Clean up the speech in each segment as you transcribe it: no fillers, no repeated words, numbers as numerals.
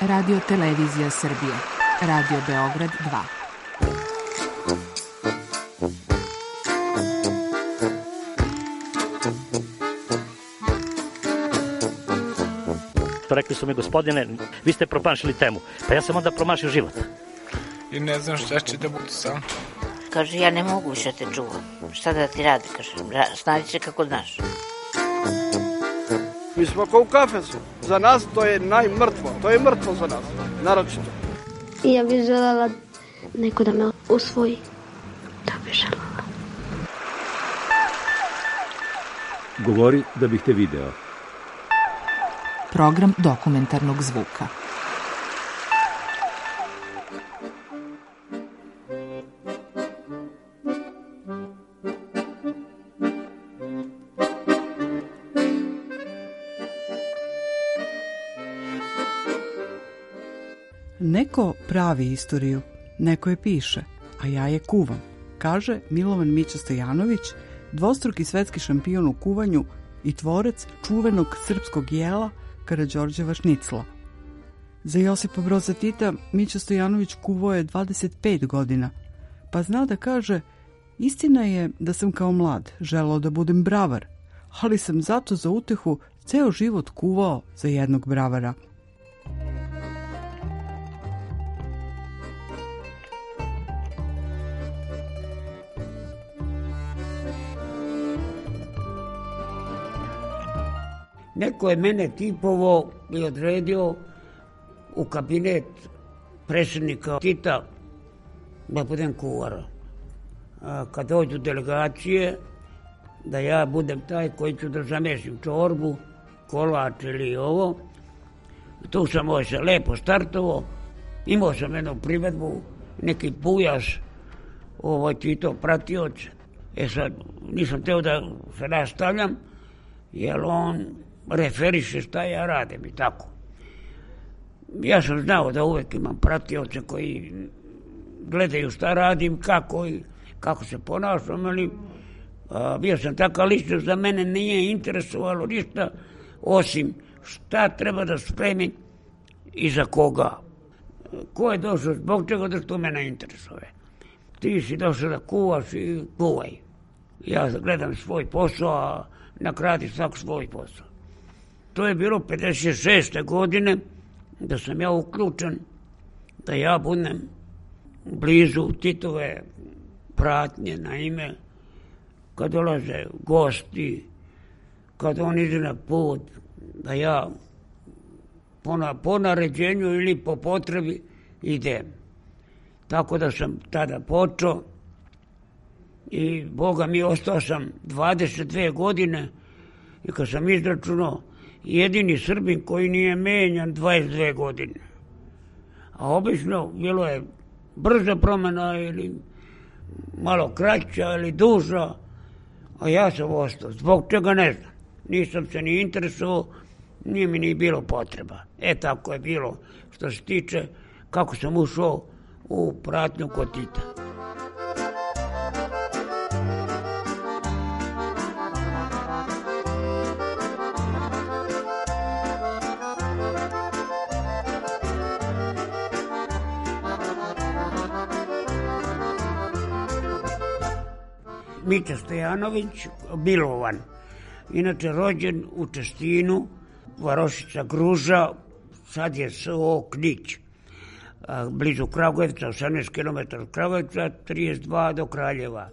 Radio Televizija Srbije. Radio Beograd 2. Rekli su mi, gospodine, vi ste promašili temu. Pa ja sam onda promašio život. I ne znam šta će da bude sam. Kaže, ja ne mogu više te čuvam. Šta da ti radi, kaže, snađi se kako znaš. Mi smo kao u kafesu. Za nas to je najmrtvo. To je mrtvo za nas, naročito. I ja bih želela neko da me usvoji. To bih želela. Govori da bih te video. Program dokumentarnog zvuka. Neko pravi istoriju, neko je piše, a ja je kuvam, kaže Milovan Mića Stojanović, dvostruki svetski šampion u kuvanju i tvorac čuvenog srpskog jela Karađorđeva šnicla. Za Josipa Broza Tita Mića Stojanović kuvao je 25 godina, pa zna da kaže, istina je da sam kao mlad želeo da budem bravar, ali sam zato za utehu ceo život kuvao za jednog bravara. Neko je mene tipovao i odredio u kabinet predsjednika Tita da budem kuvar. Kad dođu delegacije, da ja budem taj koji ću da zamešim čorbu, kolač ili ovo. Tu sam se lepo startovao, imao sam jednu privedbu, neki pujaš, Tito pratioć. Sad, nisam teo da se nastavljam, jer on referiše šta ja radim i tako. Ja sam znao da uvek imam pratioce koji gledaju šta radim, kako se ponašam, ali bio sam takav ličnost da mene nije interesovalo ništa osim šta treba da spremim i za koga. Ko je došao zbog čega, da što mene interesuje. Ti si došao da kuvaš i kuvaj. Ja gledam svoj posao, a nakradi svak svoj posao. To je bilo 56. godine da sam ja uključen, da ja budem blizu Titove pratnje, naime, kad dolaze gosti, kad on ide na put, da ja po naređenju ili po potrebi idem. Tako da sam tada počeo i Boga mi ostao sam 22 godine i kad sam izračunao, jedini Srbin koji nije menjan 22 godine. A obično bilo je brza promjena ili malo kraća ili duža, a ja sam ostao. Zbog čega ne znam. Nisam se ni interesovao, nije mi ni bilo potreba. Tako je bilo što se tiče kako sam ušao u pratnju kod Tita. Mića Stojanović, Milovan, inače rođen u Čestinu, Varošica Gruža, sad je S.O. Knić, blizu Kragujevca, 18 km od Kragujevca, 32 do Kraljeva.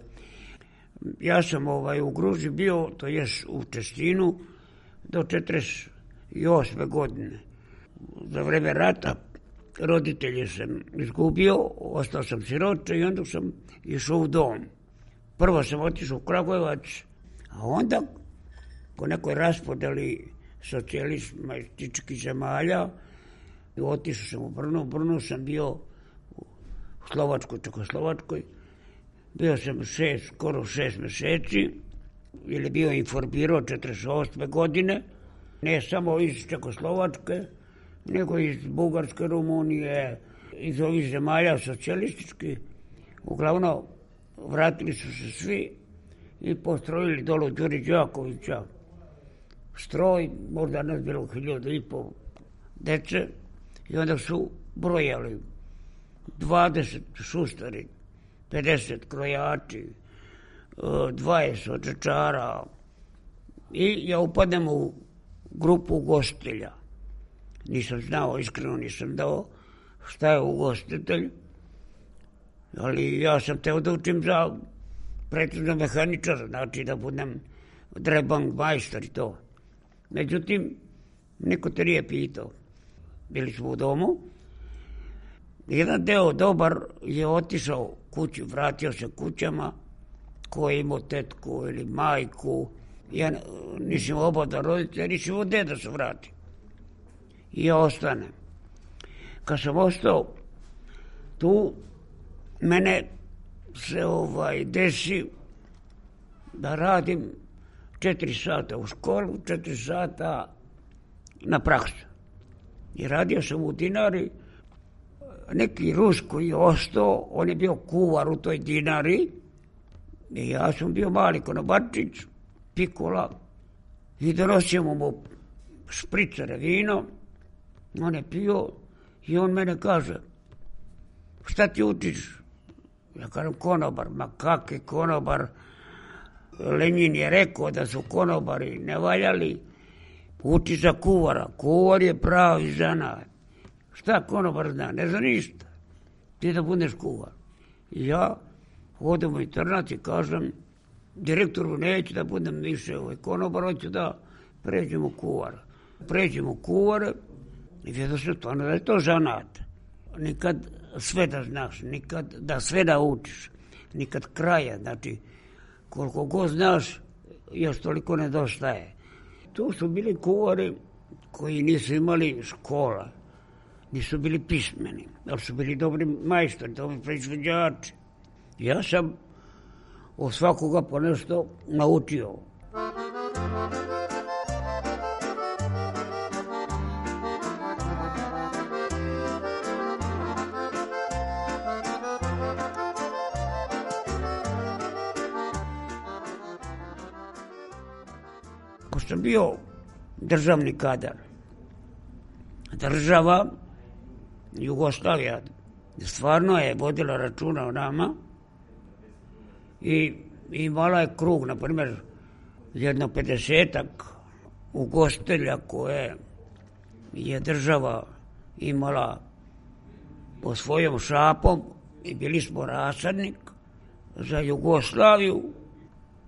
Ja sam u Gruži bio, to jest u Čestinu, do 48. godine. Za vreme rata roditelje sam izgubio, ostao sam siroče i onda sam išao u dom. Prvo sam otišao u Kragujevac, a onda po nekoj raspodeli socijalističkih zemalja otišao sam u Brno. U Brnu sam bio u Slovačkoj, Čekoslovačkoj. Bio sam skoro 6 meseci, jer je bio informirao 48. godine, ne samo iz Čekoslovačke, nego iz Bugarske, Rumunije, iz ovih zemalja socijalističkih. Uglavnom, vratili su se svi i postrojili dolo Đuri Đakovića stroj, možda nas bilo 1500 dece, I onda su brojali 20 šustari, 50 krojači, 20 očečara i ja upadnem u grupu ugostitelja. Nisam znao, iskreno nisam dao šta je ugostitelj, ali ja sam teo da učim za precizno mehaničar, znači da budem drebang majstor i to. Međutim, niko te nije pitao. Bili smo u domu. Jedan deo dobar je otišao kući, vratio se kućama, ko je imao tetku ili majku. Ja nisam oba da roditelja, nisam imao gde da se vrati. I ja ostanem. Kad sam ostao tu, mene se desi da radim 4 sata u školu, 4 sata na praksu. I radio sam u Dinari, neki Rus koji je ostao, on je bio kuvar u toj Dinari, i ja sam bio mali konobarčić, pikula, i donosimo mu špricare vino, on je pio i on mene kaže, šta ti učiš? Ja kažem konobar, ma kakvi konobar, Lenin je rekao da su konobari ne valjali, uči za kuvara, kuvar je pravi zanat. Šta konobar zna? Ne zna ništa. Ti da budeš kuvar. I ja odem u internat i kažem direktoru neću da budem više konobar, hoću da pređem u kuvara. Pređem u kuvare i vidio se to, da je to zanat. Nikad sve da znaš, nikad da sve da učiš, nikad kraja, znači koliko god znaš, još toliko nedostaje. Tu su bili kuvari koji nisu imali škola, nisu bili pismeni, ali su bili dobri majstori, dobri proizvođači. Ja sam od svakoga po nešto naučio. Ko sam bio državni kadar, država Jugoslavija stvarno je vodila računa o nama i imala je krug, na primjer, jedno 50-ak ugostitelja koje je država imala po svojom šapom i bili smo rasadnik za Jugoslaviju,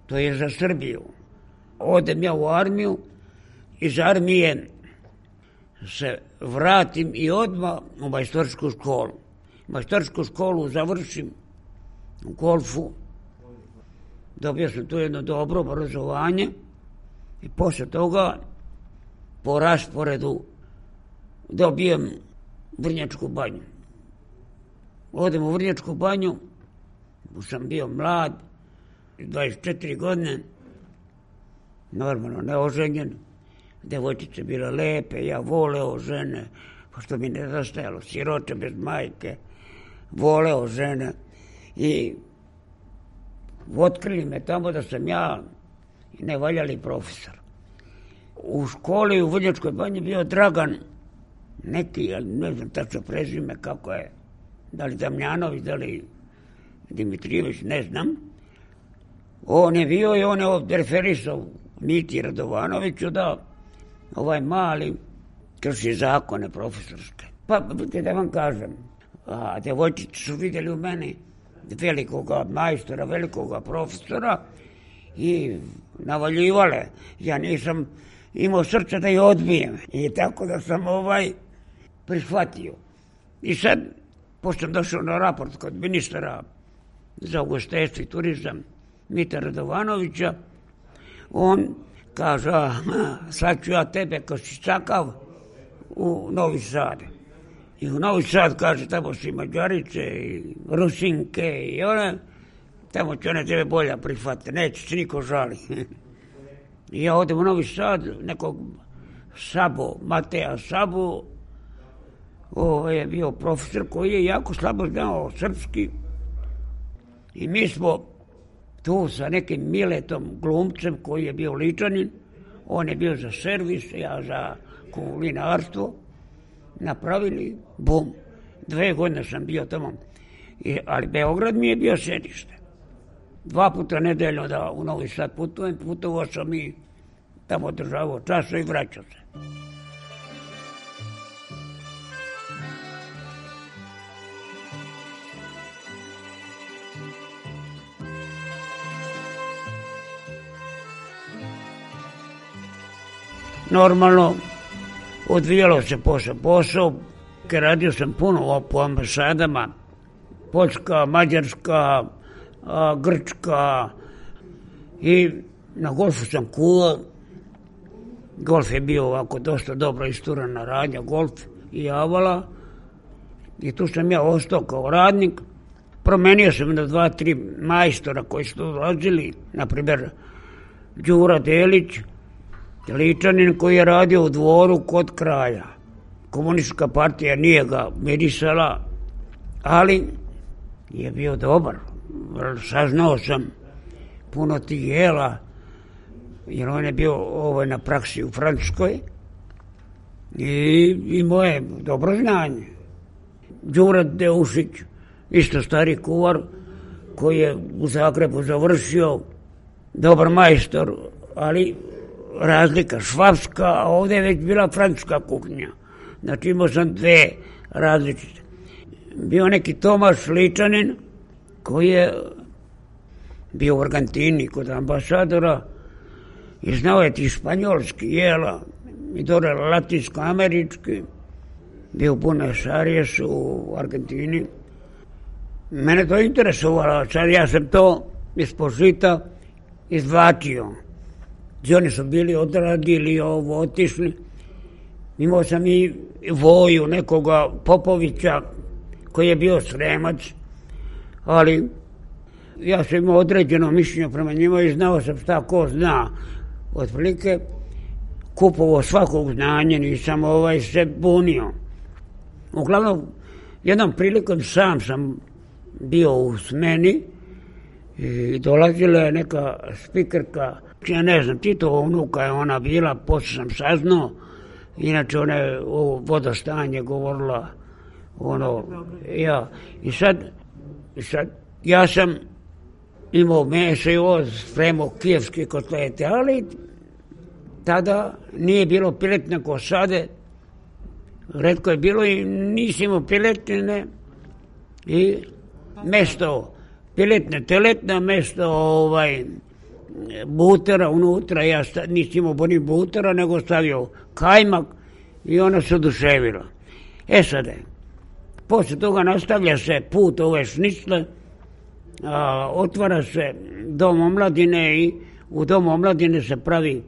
to je za Srbiju. Odem ja u armiju, iz armije se vratim i odmah u majstorsku školu. Majstorsku školu završim u golfu, dobio sam tu jedno dobro obrazovanje i posle toga po rasporedu dobijem Vrnjačku banju. Odem u Vrnjačku banju, sam bio mlad, 24 godine, normalno neoženjen, devojčice bile lepe, ja voleo žene, pošto mi nedostajalo, siroče bez majke, voleo žene i otkrili me tamo da sam ja nevaljali profesor. U školi u Vrnjačkoj banji bio Dragan, neki, ne znam tačno prezime kako je, da li Damljanović, da li Dimitrijević, ne znam. On je bio i on je ovdje referisao Miti Radovanoviću da ovaj mali krši zakone profesorske. Pa da vam kažem, devojčice su vidjeli u meni velikoga majstora, velikoga profesora i navaljivale. Ja nisam imao srca da je odbijem i tako da sam prihvatio. I sad, pošto sam došao na raport kod ministra za ugostiteljstvo i turizam Mita Radovanovića, on kaže, sad ću ja tebe kao si čakav u Novi Sad. I u Novi Sad, kaže, tamo su i Mađarice i Rusinke i one, tamo će one tebe bolja prihvatiti, neće se niko žali. I ja odem u Novi Sad, nekog Mateja Sabo, je bio profesor koji je jako slabo znao srpski i mi smo tu sa nekim Miletom glumcem koji je bio Ličanin, on je bio za servis, ja za kulinarstvo napravili, bum. 2 godine sam bio tamo. Ali Beograd mi je bio sedište. 2 puta nedeljno da u Novi Sad putujem, putovao sam i tamo državao času i vraćao se. Normalno, odvijalo se posao, radio sam puno po ambasadama, Poljska, Mađarska, Grčka i na golfu sam kuvao. Golf je bio ovako dosta dobro isturana radnja, golf i avala. I tu sam ja ostao kao radnik. Promenio sam na 2-3 majstora koji su dolazili, na primjer Đura Delić, Ličanin koji je radio u Dvoru kod kralja. Komunistička partija nije ga mirisala, ali je bio dobar. Saznao sam puno tih jela, jer on je bio na praksi u Francuskoj i imao je dobro znanje. Đura Deušić, isto stari kuvar, koji je u Zagrebu završio, dobar majstor, ali razlika švapska, a ovdje je već bila francuska kuhinja. Znači imao sam 2 različite. Bio neki Tomaš Ličanin, koji je bio u Argentini kod ambasadora i znao je ti španjolski jela i dole latinsko-američki. Bio u Buenos Airesu u Argentini. Mene to interesovalo, sad ja sam to ispod žita izvlačio. Oni su bili odradili ovo, otišli. Imao sam i Voju, nekoga Popovića, koji je bio Sremac, ali ja sam imao određeno mišljenje prema njima i znao sam šta ko zna. Otprilike kupovao svakog znanja, nisam se bunio. Uglavnom, jednom prilikom sam bio u smeni i dolazila je neka spikerka, ja ne znam, Titova unuka je ona bila, poslije sam saznao, inače ona je o vodostanje govorila, i sad ja sam imao meso i ovo, spremao kijevske kotlete, ali tada nije bilo piletne kosade, retko je bilo i nisi imao piletine i mesto piletne teletna, mesto butera unutra, ja nisam imao boni butera, nego stavio kajmak i ona se oduševila. Sad je, poslije toga nastavlja se put ove šnicle, otvara se dom omladine i u domu omladine se pravi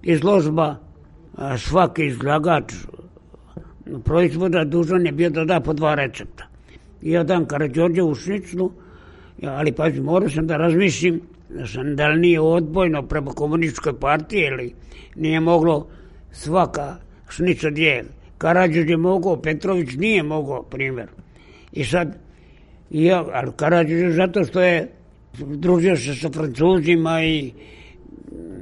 izložba, svaki izlagač proizvoda dužan je bio da da po 2 recepta. Ja dam Karađorđevu šniclu, ali pazi, morao sam da razmislim da li nije odbojno prema komunističkoj partiji ili nije moglo svaka šnica djel. Karađorđe je mogao, Petrović nije mogao, primjer. I sad, ali Karađorđe zato što je družio se sa Francuzima i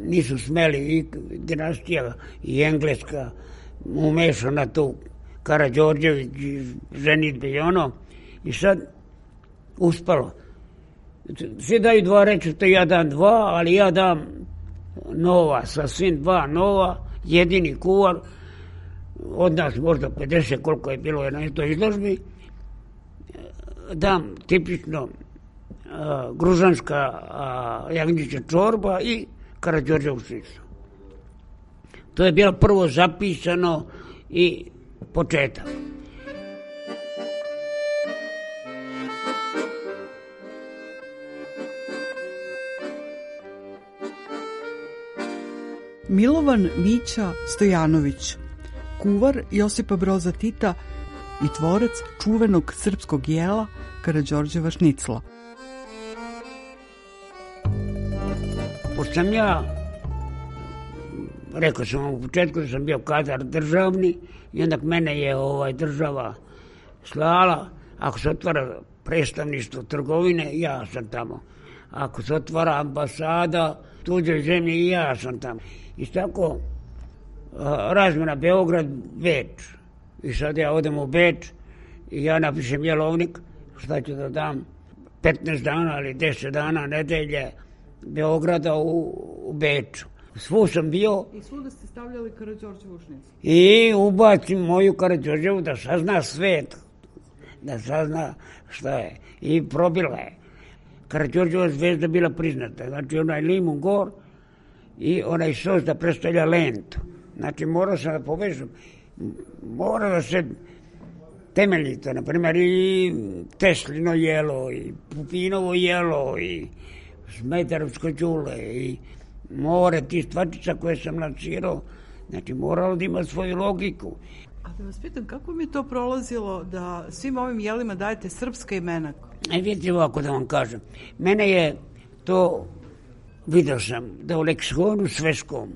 nisu smeli, i dinastija i Engleska umešana tu, Karađorđević, ženitbe i i sad uspalo. Svi daju 2 recepta, ja dam 2, ali ja dam nova, sasvim 2 nova, jedini kuvar, od nas možda 50 koliko je bilo na toj izložbi, dam tipično gružanska jagnjeća čorba i Karađorđevu šnicu. To je bilo prvo zapisano i početak. Milovan Mića Stojanović, kuvar Josipa Broza Tita i tvorac čuvenog srpskog jela Karađorđeva šnicla. Pošto sam ja, rekao sam u početku da sam bio kadar državni i onda mene je država slala, ako se otvara predstavništvo trgovine, ja sam tamo. Ako se otvara ambasada tuđoj zemlji, ja sam tamo. I tako razmjena Beograd-Beč. I sad ja odem u Beč i ja napišem jelovnik, šta ću da dam 15 dana ili 10 dana nedelje Beograda u Beču. Svu sam bio. I svuda ste stavljali Karađorđevu šnicu. I ubacim moju Karađorđevu da sazna svet, da sazna šta je. I probila je. Karađorđeva zvezda bila priznata. Znači onaj limun gor i onaj sos da predstavlja lentu. Znači morao sam da povežem. Mora da se temeljito, na primjer i Teslino jelo, i Pupinovo jelo, i Smetarovsko đule, i more tih stvačica koje sam lansirao. Znači moralo da ima svoju logiku. A da vas pitam, kako mi je to prolazilo da svim ovim jelima dajete srpska imena? Vidite ovako da vam kažem. Mene je to, vidio sam da u leksikonu svetskom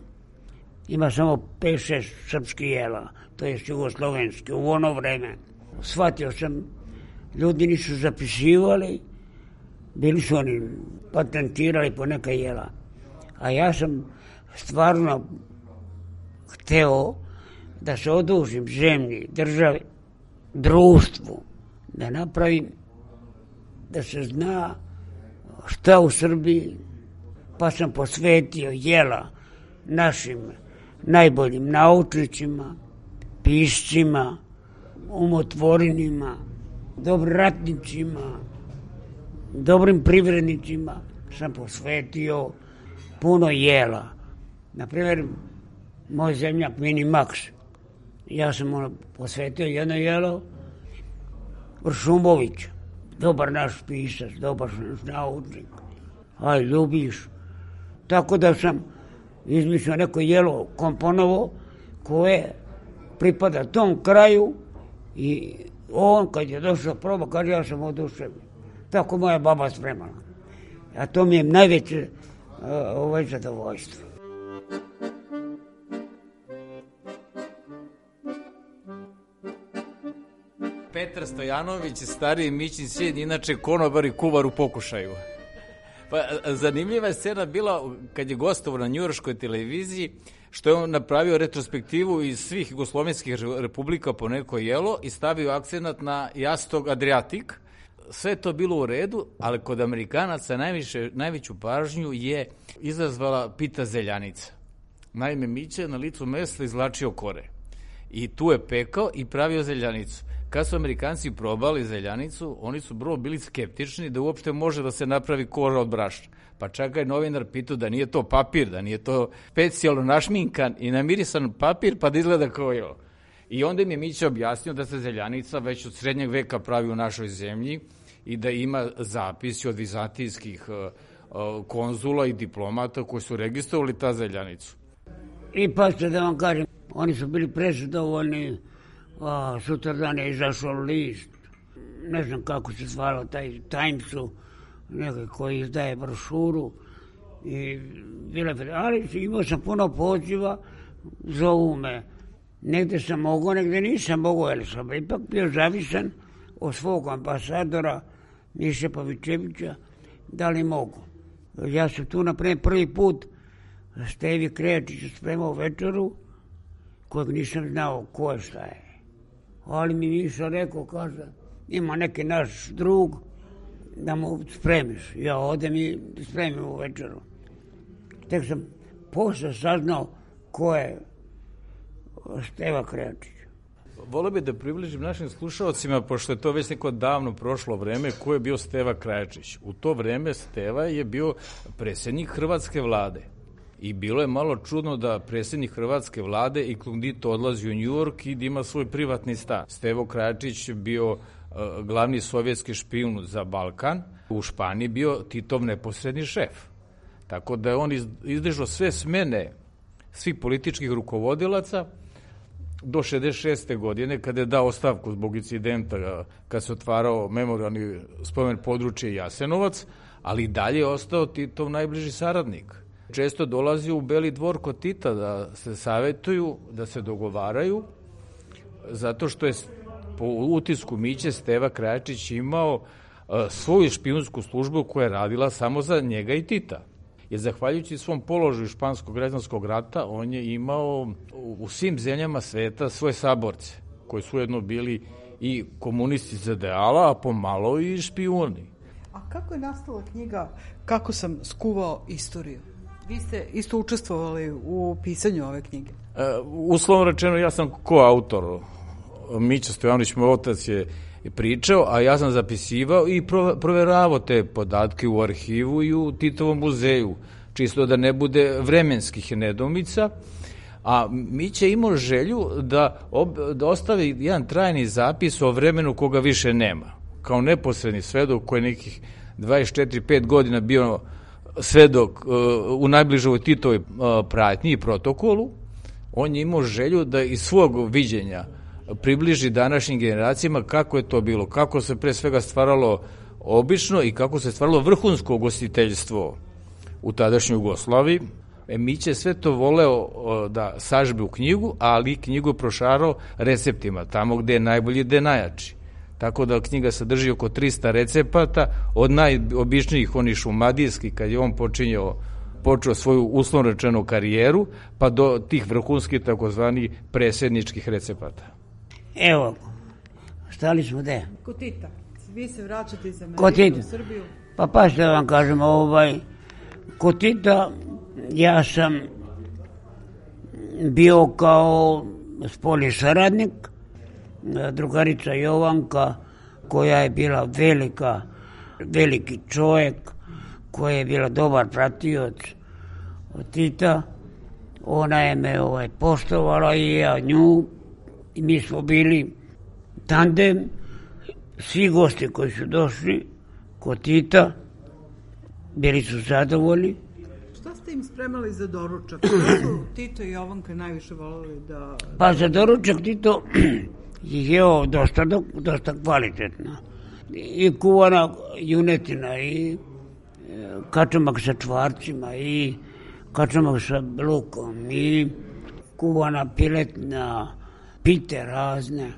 ima samo 5-6 srpskih jela, to je jugoslovenski, u ono vreme. Shvatio sam, ljudi nisu zapisivali, bili su oni patentirali po neka jela. A ja sam stvarno hteo da se odužim zemlji, državi, društvu, da napravim, da se zna šta u Srbiji, pa sam posvetio jela našim najboljim naučnicima, piscima, umotvorinima, dobrim ratnicima, dobrim privrednicima, sam posvetio puno jela. Naprimjer, moj zemljak Mini Max, ja sam posvetio jedno jelo, Vršumović, dobar naš pisac, dobar naš naučnik, aj ljubiš. Tako da sam izmislio neko jelo komponovo koje pripada tom kraju i on kad je došao proba, kaže ja sam oduševljen. Tako moja baba spremala. A to mi je najveće zadovoljstvo. Petar Stojanović, stariji Mićin sin, inače konobar i kuvar u pokušaju. Pa, zanimljiva je scena bila kad je gostovao na njujorškoj televiziji, što je on napravio retrospektivu iz svih jugoslovenskih republika po neko jelo i stavio akcenat na Jastog Adriatik. Sve je to bilo u redu, ali kod Amerikanaca najveću pažnju je izazvala pita zeljanica. Naime, Mića na licu mesta izvlačio kore. I tu je pekao i pravio zeljanicu. Kad su Amerikanci probali zeljanicu, oni su bili skeptični da uopšte može da se napravi kora od brašna. Pa čak je novinar pitao da nije to papir, da nije to specijalno našminkan i namirisan papir pa da izgleda kao je. I onda im je Mića objasnio da se zeljanica već od srednjeg veka pravi u našoj zemlji i da ima zapisi od vizantijskih konzula i diplomata koji su registrovali ta zeljanicu. I pa ste da vam kažem, oni su bili prezadovoljni, sutradan je izašao list, ne znam kako se zvalo, taj Timesu, nekaj koji izdaje brošuru, ali imao sam puno poziva, zovu me, negde sam mogao, negde nisam mogao, jer sam ipak bio zavisan od svog ambasadora Miše Pavićevića, da li mogu. Ja sam tu napravio prvi put Stevi Krejačiću spremao večeru, kojeg nisam znao ko je šta je. Ali mi Miša rekao, kaže, ima neki naš drug, da mu spremiš. Ja odem i spremim u večeru. Tek sam posle saznao ko je Steva Krejačić. Volio bih da približim našim slušalcima, pošto je to već neko davno prošlo vreme, ko je bio Steva Krajačić. U to vreme Steva je bio predsjednik Hrvatske vlade. I bilo je malo čudno da predsjednik Hrvatske vlade i Klundito odlazi u Njujork i da ima svoj privatni stan. Stevo Krajačić bio glavni sovjetski špijun za Balkan, u Španiji bio Titov neposredni šef. Tako da je on izdržao sve smene svih političkih rukovodilaca do 66. godine, kada je dao ostavku zbog incidenta kad se otvarao memorijalni spomen područje Jasenovac, ali i dalje je ostao Titov najbliži saradnik. Često dolazi u Beli dvor kod Tita da se savetuju, da se dogovaraju, zato što je po utisku Miće Steva Krajačić imao svoju špijunsku službu koja je radila samo za njega i Tita. Jer zahvaljujući svom položaju španskog građanskog rata, on je imao u svim zemljama sveta svoje saborce, koji su ujedno bili i komunisti iz ideala, a pomalo i špijuni. A kako je nastala knjiga Kako sam skuvao istoriju? Vi ste isto učestvovali u pisanju ove knjige. Uslovno rečeno, ja sam koautor. Mića Stojanović, moj otac, je pričao, a ja sam zapisivao i proveravao te podatke u arhivu i u Titovom muzeju, čisto da ne bude vremenskih nedoumica. A Mića je imao želju da ostavi jedan trajni zapis o vremenu koga više nema. Kao neposredni svedok koji je nekih 24-5 godina bio svedok u najbližoj Titovoj pratnji i protokolu, on je imao želju da iz svog viđenja približi današnjim generacijama kako je to bilo, kako se pre svega stvaralo obično i kako se stvaralo vrhunsko ugostiteljstvo u tadašnjoj Jugoslaviji. Mića je sve to voleo da sažbe u knjigu, ali knjigu prošarao receptima, tamo gde je najbolji, gde je najjači. Tako da knjiga sadrži oko 300 recepata, od najobičnijih onih šumadijskih, kad je on počeo svoju uslovno rečenu karijeru, pa do tih vrhunskih takozvani presedničkih recepata. Evo, stali smo gde? Kod Tita. Vi se vraćate iz Amerike u Srbiju. Pa što vam kažem, kod Tita ja sam bio kao spoljni saradnik, drugarica Jovanka, koja je bila veliki čovjek, koja je bila dobar pratioc od Tita. Ona je me poštovala i ja nju, i mi smo bili tandem. Svi gosti koji su došli kod Tita bili su zadovoljni. Šta ste im spremali za doručak? Šta su Tito i Jovanka najviše voljeli da... Pa za doručak Tito je jeo dosta kvalitetno. I kuvana junetina, i kačamak sa čvarcima, i kačamak sa lukom, i kuvana piletna, pite razne,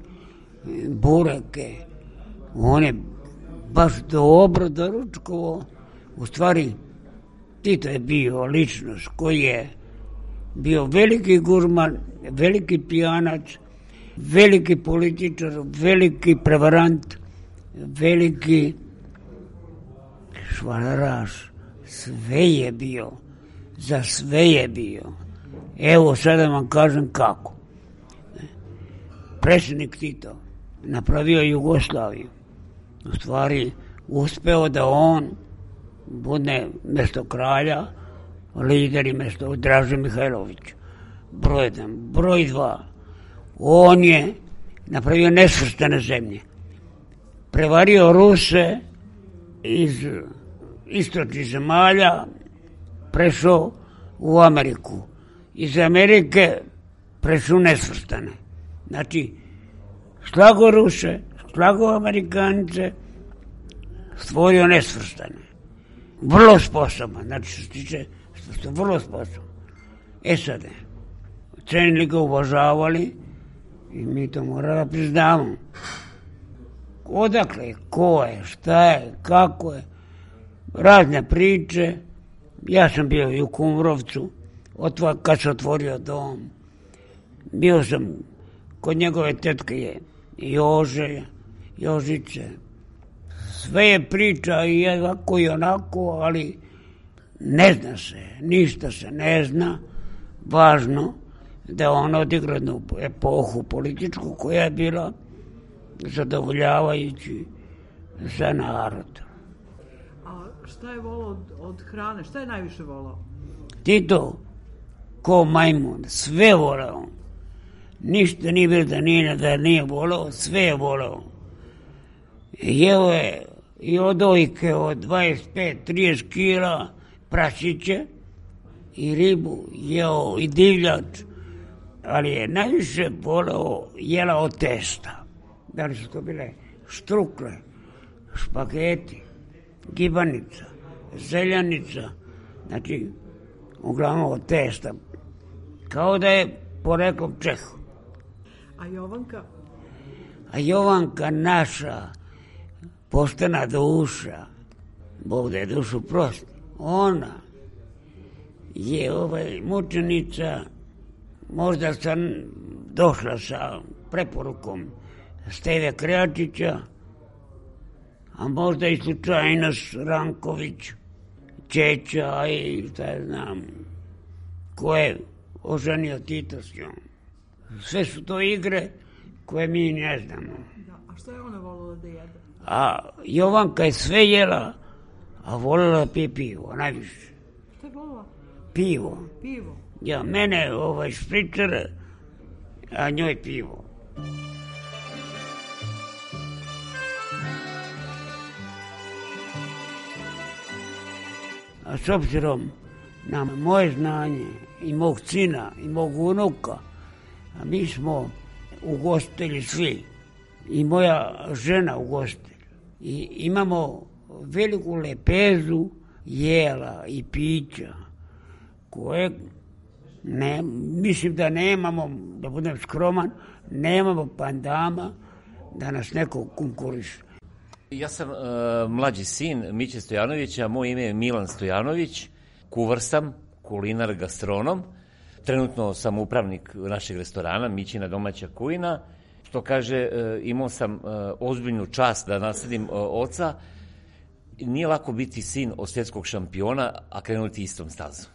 bureke. On je baš dobro doručkovo. U stvari, Tito je bio ličnost koji je bio veliki gurman, veliki pijanac, veliki političar, veliki prevarant, veliki švalaraš. Sve je bio, za sve je bio. Evo sada vam kažem kako. Predsjednik Tito napravio Jugoslaviju. U stvari uspeo da on bude mesto kralja, lider i mesto Draže Mihajlović. Broj 1. Broj 2. On je napravio nesvrstane zemlje. Prevario Ruse iz istočnih zemalja, prešao u Ameriku. Iz Amerike prešao nesvrstane. Znači, slago Ruse, slago Amerikance, stvorio nesvrstane. Vrlo sposoban, znači što se tiče, što vrlo sposoban. Sad, cenili ga, uvažavali i mi to moramo da priznamo. Odakle, ko je, šta je, kako je, razne priče. Ja sam bio i u Kumrovcu, kad se otvorio dom. Bio sam kod njegove tetke Jožice. Sve je priča i ovako i onako, ali ne zna se, ništa se ne zna. Važno da on odigra jednu epohu političku koja je bila zadovoljavajući za narod. A šta je volao od hrane? Šta je najviše volao? Tito, ko majmun, sve volao. Ništa nije bilo da nije volao, sve je volao. Jeo je i odojke od 25-30 kila prašiće i ribu, jeo i divljač, ali je najviše volao jela od testa. Da li su to bile štrukle, špageti, gibanica, zeljanica, znači uglavnom od testa, kao da je poreklom Čehu. A Jovanka? A Jovanka naša, poštena duša, Bog da je dušu prosti, ona je mučenica, možda sam došla sa preporukom Steve Krejačića, a možda i slučajnost Ranković, Čeća i šta ja znam, ko je oženio Tito s njom. Sve su to igre koje mi ne znamo. A što je ona volila da jede? A Jovanka je sve jela, a volila pije pivo, najviše. Šta je volila? Pivo. Pivo? Ja, mene špricer, a njoj pivo. A s obzirom na moje znanje i mog sina i mog unuka, a mi smo ugostili svi, i moja žena ugostila. I imamo veliku lepezu jela i pića koje mislim da nemamo, da budem skroman, nemamo pandama da nas neko konkuriše. Ja sam mlađi sin Miće Stojanovića, moje ime je Milan Stojanović, kuvar sam, kulinar, gastronom. Trenutno sam upravnik našeg restorana, Mićina domaća kujina. Što kaže, imao sam ozbiljnu čast da nasledim oca. Nije lako biti sin od svjetskog šampiona, a krenuti istom stazom.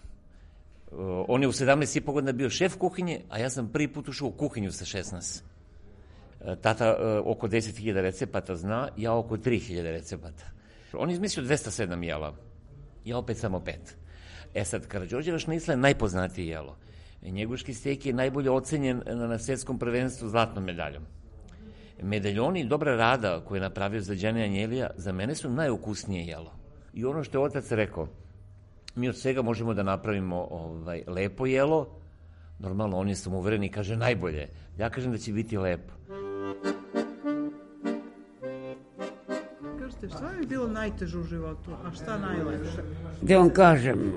On je u 17,5 godina bio šef kuhinje, a ja sam prvi put ušao u kuhinju sa 16. Tata oko 10.000 recepata zna, ja oko 3.000 recepata. On je izmislio 207 jela, ja opet samo 5. Sad, Karađorđeva šnicla je najpoznatije jelo. Njeguški stejk je najbolje ocenjen na svjetskom prvenstvu zlatnom medaljom. Medaljoni dobra rada koje je napravio za Đane Anjelija za mene su najukusnije jelo. I ono što je otac rekao, mi od svega možemo da napravimo lepo jelo, normalno oni su uvereni i kaže najbolje. Ja kažem da će biti lepo. Kažete, šta je bilo najteže u životu, a šta najlepše? Da vam kažem,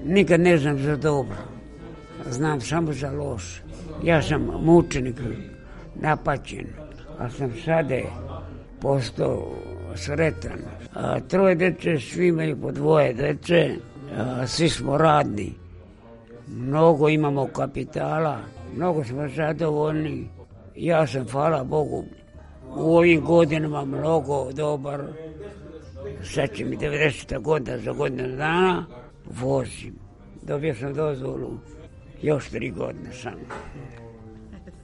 nikad ne znam za dobro, znam samo za loše. Ja sam mučenik, napaćen, a sam sada postao sretan. Troje dece, svi imaju po dvoje dece, svi smo radni, mnogo imamo kapitala, mnogo smo zadovoljni. Ja sam, hvala Bogu, u ovim godinama mnogo dobar. Sad će mi 90. godina, za godinu dana vozim. Dobio sam dozvolu još 3 godine samo.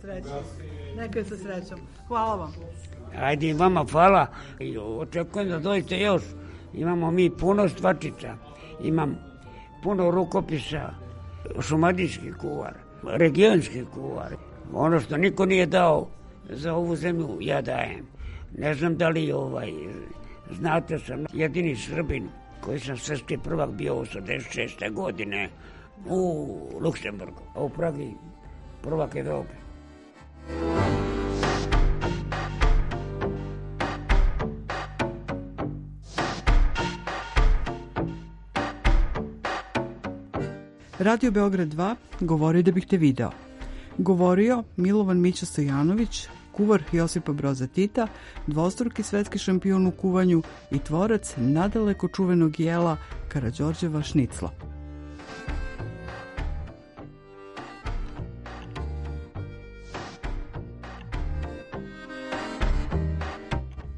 Srećom. Nekaj sa srećom. Hvala vam. Ajde i vama hvala. I očekujem da dođete još. Imamo mi puno stvačica. Imam puno rukopisa, šumadijski kuvar, regionski kuvar. Ono što niko nije dao za ovu zemlju, ja dajem. Ne znam da li znate, sam jedini Srbin koji sam svetski prvak bio 86. godine u Luksemburgu, a u Pragi prvak Evrope. Radio Beograd 2 govori da bih te video. Govorio Milovan Mića Stojanović, kuvar Josipa Broza Tita, dvostruki svetski šampion u kuvanju i tvorac nadaleko čuvenog jela Karađorđeva šnicla.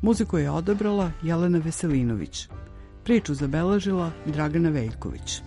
Muziku je odabrala Jelena Veselinović. Priču zabeležila Dragana Veljković.